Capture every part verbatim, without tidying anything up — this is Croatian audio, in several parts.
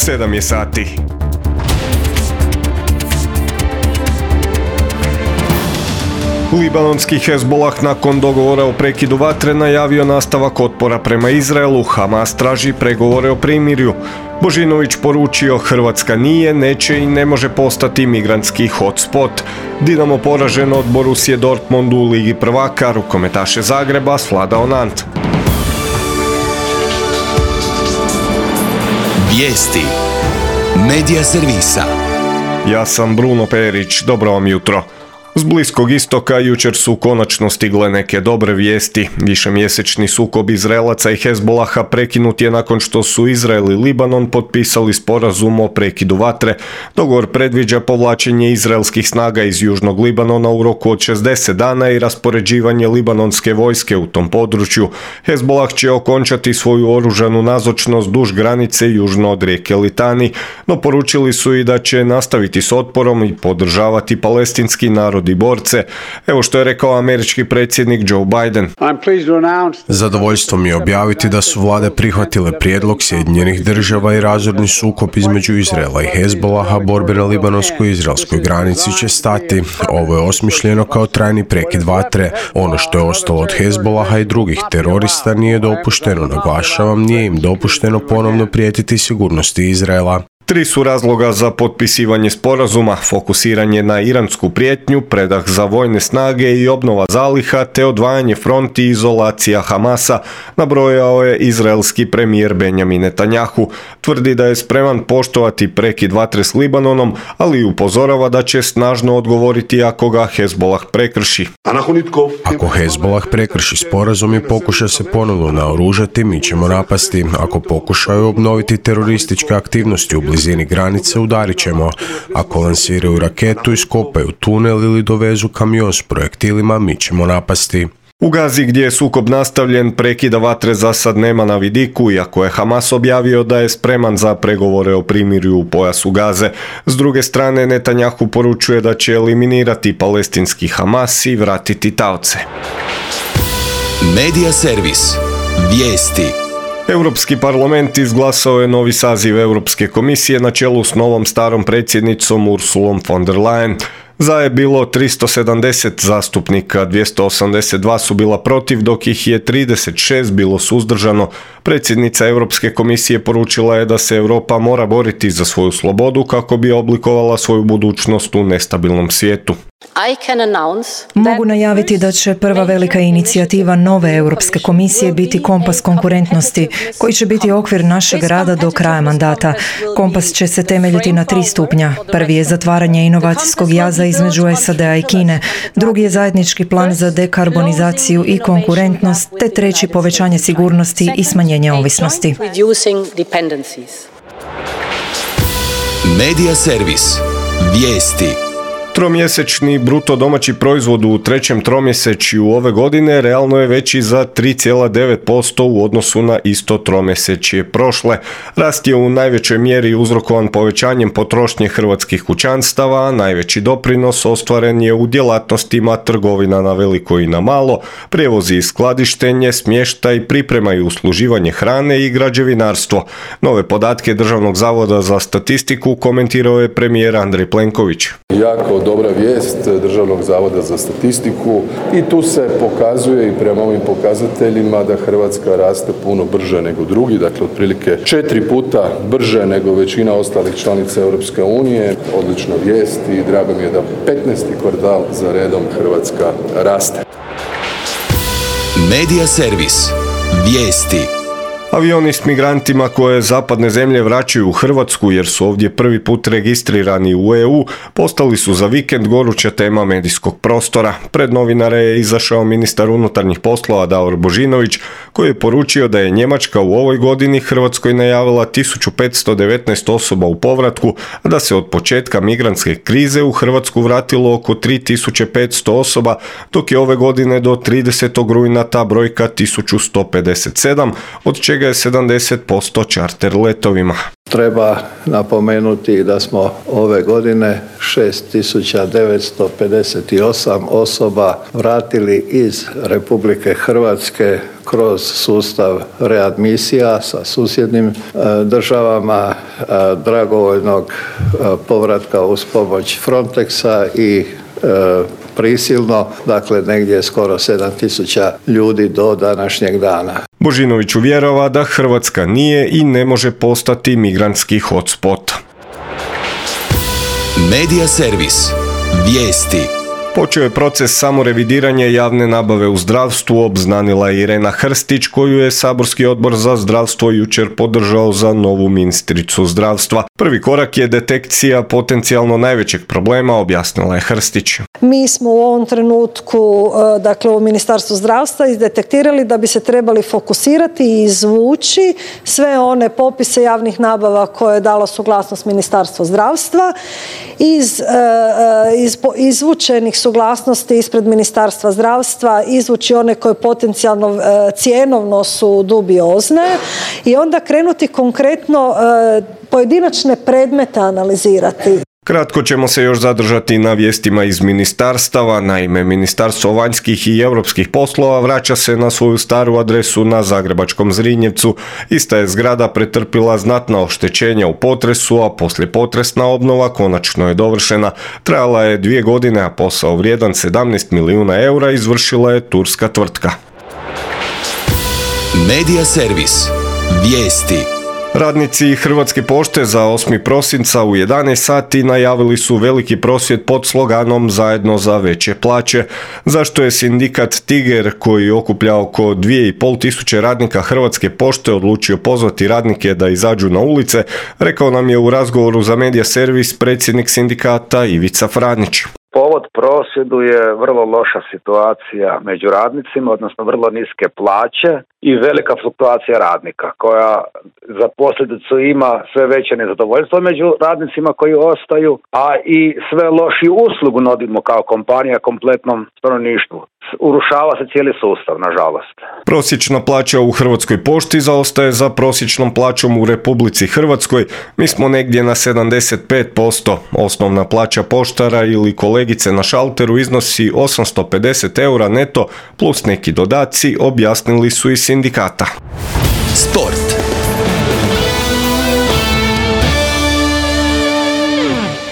sedam je sati. Libanonski Hezbolah nakon dogovora o prekidu vatre najavio nastavak otpora prema Izraelu. Hamas traži pregovore o primirju. Božinović poručio Hrvatska nije, neće i ne može postati migrantski hotspot. Dinamo poražen od Borusije Dortmundu u Ligi prvaka, rukometaše Zagreba svladao Nant. Vijesti Medija servisa. Ja sam Bruno Perić, dobro vam jutro. S Bliskog istoka jučer su konačno stigle neke dobre vijesti. Višemjesečni sukob Izraelaca i Hezbolaha prekinut je nakon što su Izrael i Libanon potpisali sporazum o prekidu vatre. Dogovor predviđa povlačenje izraelskih snaga iz južnog Libanona u roku od šezdeset dana i raspoređivanje libanonske vojske u tom području. Hezbolah će okončati svoju oružanu nazočnost duž granice južno od rijeke Litani, no poručili su i da će nastaviti s otporom i podržavati palestinski narod i borce. Evo što je rekao američki predsjednik Joe Biden. Zadovoljstvo mi je objaviti da su vlade prihvatile prijedlog Sjedinjenih država i razorni sukob između Izraela i Hezbolaha, borbe na libanonsko-izraelskoj granici će stati. Ovo je osmišljeno kao trajni prekid vatre. Ono što je ostalo od Hezbolaha i drugih terorista nije dopušteno, naglašavam, nije im dopušteno ponovno prijetiti sigurnosti Izraela. Tri su razloga za potpisivanje sporazuma: fokusiranje na iransku prijetnju, predah za vojne snage i obnova zaliha, te odvajanje fronti i izolacija Hamasa, nabrojao je izraelski premijer Benjamin Netanjahu. Tvrdi da je spreman poštovati prekid vatre s Libanonom, ali upozorava da će snažno odgovoriti ako ga Hezbolah prekrši. Ako Hezbolah prekrši sporazum i pokuša se ponovno naoružati, mi ćemo napasti. Ako pokušaju obnoviti terorističke aktivnosti u blizini granice, udarit ćemo. Ako lansiraju raketu, iskopaju tunel ili dovezu kamion s projektilima, mi ćemo napasti. U Gazi, gdje je sukob nastavljen, prekida vatre za sad nema na vidiku, iako je Hamas objavio da je spreman za pregovore o primirju u pojasu Gaze. S druge strane, Netanjahu poručuje da će eliminirati palestinski Hamas i vratiti taoce. Medija servis. Vijesti. Europski parlament izglasao je novi saziv Europske komisije na čelu s novom starom predsjednicom Ursulom von der Leyen. Za je bilo tristo sedamdeset zastupnika, dvjesto osamdeset dva su bila protiv, dok ih je trideset šest bilo suzdržano. Predsjednica Europske komisije poručila je da se Europa mora boriti za svoju slobodu kako bi oblikovala svoju budućnost u nestabilnom svijetu. Mogu najaviti da će prva velika inicijativa nove Europske komisije biti kompas konkurentnosti, koji će biti okvir našeg rada do kraja mandata. Kompas će se temeljiti na tri stupnja. Prvi je zatvaranje inovacijskog jaza između S A D-a i Kine, drugi je zajednički plan za dekarbonizaciju i konkurentnost, te treći povećanje sigurnosti i smanjenje ovisnosti. Medija servis. Vijesti. Tromjesečni bruto domaći proizvod u trećem tromjesečju ove godine realno je veći za tri zarez devet posto u odnosu na isto tromjesečje prošle. Rast je u najvećoj mjeri uzrokovan povećanjem potrošnje hrvatskih kućanstava, a najveći doprinos ostvaren je u djelatnostima trgovina na veliko i na malo, prijevozi i skladištenje, smještaj, priprema i usluživanje hrane i građevinarstvo. Nove podatke Državnog zavoda za statistiku komentirao je premijer Andrej Plenković. Jako dobra vijest Državnog zavoda za statistiku i tu se pokazuje i prema ovim pokazateljima da Hrvatska raste puno brže nego drugi, dakle otprilike četiri puta brže nego većina ostalih članica Europske unije. Odlična vijest i drago mi je da petnaesti kvartal za redom Hrvatska raste. Medija servis. Vijesti. Avioni s migrantima koje zapadne zemlje vraćaju u Hrvatsku jer su ovdje prvi put registrirani u E U, postali su za vikend goruća tema medijskog prostora. Pred novinare je izašao ministar unutarnjih poslova Davor Božinović, koji je poručio da je Njemačka u ovoj godini Hrvatskoj najavila tisuću petsto devetnaest osoba u povratku, a da se od početka migrantske krize u Hrvatsku vratilo oko tri tisuće petsto osoba, dok je ove godine do tridesetog rujna ta brojka tisuću sto pedeset sedam, od čega je sedamdeset posto čarter letovima. Treba napomenuti da smo ove godine šest tisuća devetsto pedeset osam osoba vratili iz Republike Hrvatske kroz sustav readmisija sa susjednim državama. dragovoljnog povratka uz pomoć Frontexa i prisilno, dakle negdje skoro sedam tisuća ljudi do današnjeg dana. Božinović uvjerava da Hrvatska nije i ne može postati migrantski hotspot. Medija servis. Vijesti. Počeo je proces samorevidiranja javne nabave u zdravstvu, obznanila je Irena Hrstić, koju je saborski odbor za zdravstvo jučer podržao za novu ministricu zdravstva. Prvi korak je detekcija potencijalno najvećeg problema, objasnila je Hrstić. Mi smo u ovom trenutku, dakle u Ministarstvu zdravstva, izdetektirali da bi se trebali fokusirati i izvući sve one popise javnih nabava koje je dalo suglasnost Ministarstvo zdravstva. Iz, iz izvučenih suglasnosti ispred Ministarstva zdravstva izvući one koje potencijalno cjenovno su dubiozne i onda krenuti konkretno pojedinačne predmete analizirati. Kratko ćemo se još zadržati na vijestima iz ministarstava. Naime, Ministarstvo vanjskih i europskih poslova vraća se na svoju staru adresu na zagrebačkom Zrinjevcu. Ista je zgrada pretrpila znatna oštećenja u potresu, a poslijepotresna obnova konačno je dovršena. Trajala je dvije godine, a posao vrijedan sedamnaest milijuna eura izvršila je turska tvrtka. Medija servis. Vijesti. Radnici Hrvatske pošte za osmi prosinca u jedanaest sati najavili su veliki prosvjed pod sloganom Zajedno za veće plaće. Zašto je sindikat Tiger, koji okuplja oko dvije i pol tisuće radnika Hrvatske pošte, odlučio pozvati radnike da izađu na ulice, rekao nam je u razgovoru za Medija servis predsjednik sindikata Ivica Franić. Povod prosvjedu je vrlo loša situacija među radnicima, odnosno vrlo niske plaće i velika fluktuacija radnika koja za posljedicu ima sve veće nezadovoljstvo među radnicima koji ostaju, a i sve lošiju uslugu nudimo kao kompanija kompletnom stanovništvu. Urušava se cijeli sustav, nažalost. Prosječna plaća u Hrvatskoj pošti zaostaje za prosječnom plaćom u Republici Hrvatskoj. Mi smo negdje na sedamdeset pet posto. Osnovna plaća poštara ili kolegice na šalteru iznosi osamsto pedeset eura neto plus neki dodaci, objasnili su iz sindikata. Sport.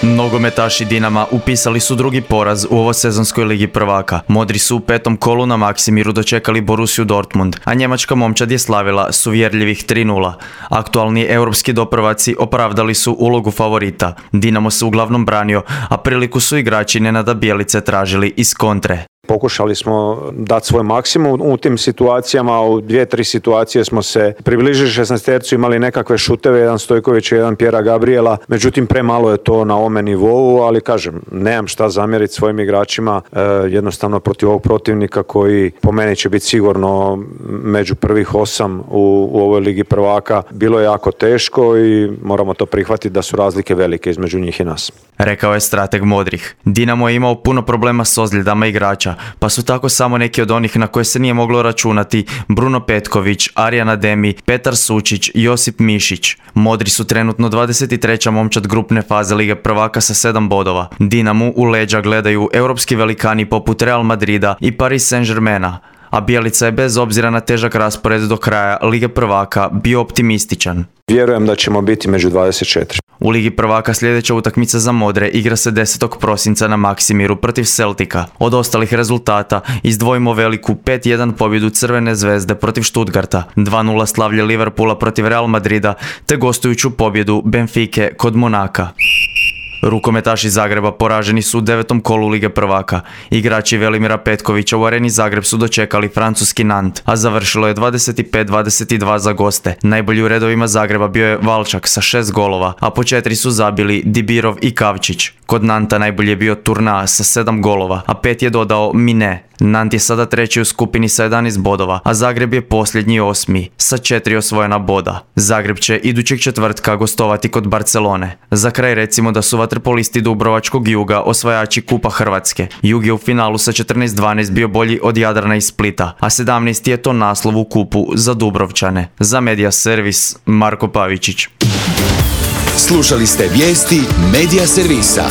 Nogometaši Dinama upisali su drugi poraz u ovosezonskoj ligi prvaka. Modri su u petom kolu na Maksimiru dočekali Borussiju Dortmund, a njemačka momčad je slavila s uvjerljivih tri nula. Aktualni europski doprvaci opravdali su ulogu favorita. Dinamo se uglavnom branio, a priliku su igrači Nenada Bjelice tražili iz kontre. Pokušali smo dati svoj maksimum u tim situacijama, u dvije, tri situacije smo se približili šesnaestercu, imali nekakve šuteve, jedan Stojković i jedan Pjera Gabriela, međutim premalo je to na ovome nivou, ali kažem, nemam šta zamjeriti svojim igračima, e, jednostavno protiv ovog protivnika koji po meni će biti sigurno među prvih osam u, u ovoj ligi prvaka. Bilo je jako teško i moramo to prihvatiti da su razlike velike između njih i nas. Rekao je strateg Modrih. Dinamo je imao puno problema s ozljedama igrača, pa su tako samo neki od onih na koje se nije moglo računati Bruno Petković, Arjan Ademi, Petar Sučić, Josip Mišić. Modri su trenutno dvadeset treća momčad grupne faze Lige prvaka sa sedam bodova. Dinamu u leđa gledaju europski velikani poput Real Madrida i Paris Saint-Germaina, a Bjelica je bez obzira na težak raspored do kraja Lige prvaka bio optimističan. Vjerujem da ćemo biti među dvadeset četiri. U Ligi prvaka sljedeća utakmica za Modre igra se desetog prosinca na Maksimiru protiv Celtica. Od ostalih rezultata izdvojimo veliku pet jedan pobjedu Crvene zvezde protiv Stuttgarta, dva nula slavlje Liverpoola protiv Real Madrida te gostujuću pobjedu Benfike kod Monaka. Rukometaši Zagreba poraženi su u devetom kolu Lige prvaka. Igrači Velimira Petkovića u Areni Zagreb su dočekali francuski Nant, a završilo je dvadeset pet dvadeset dva za goste. Najbolji u redovima Zagreba bio je Valčak sa šest golova, a po četiri su zabili Dibirov i Kavčić. Kod Nanta najbolji je bio Turna sa sedam golova, a pet je dodao Mine. Nant je sada treći u skupini sa jedanaest bodova, a Zagreb je posljednji osmi sa četiri osvojena boda. Zagreb će idućeg četvrtka gostovati kod Barcelone. Za kraj recimo da su vaterpolisti Dubrovačkog Juga osvajači Kupa Hrvatske. Jug je u finalu sa četrnaest dvanaest bio bolji od Jadrana i Splita, a sedamnaesti je to naslov u kupu za Dubrovčane. Za Medija servis Marko Pavičić. Slušali ste vijesti Medija servisa.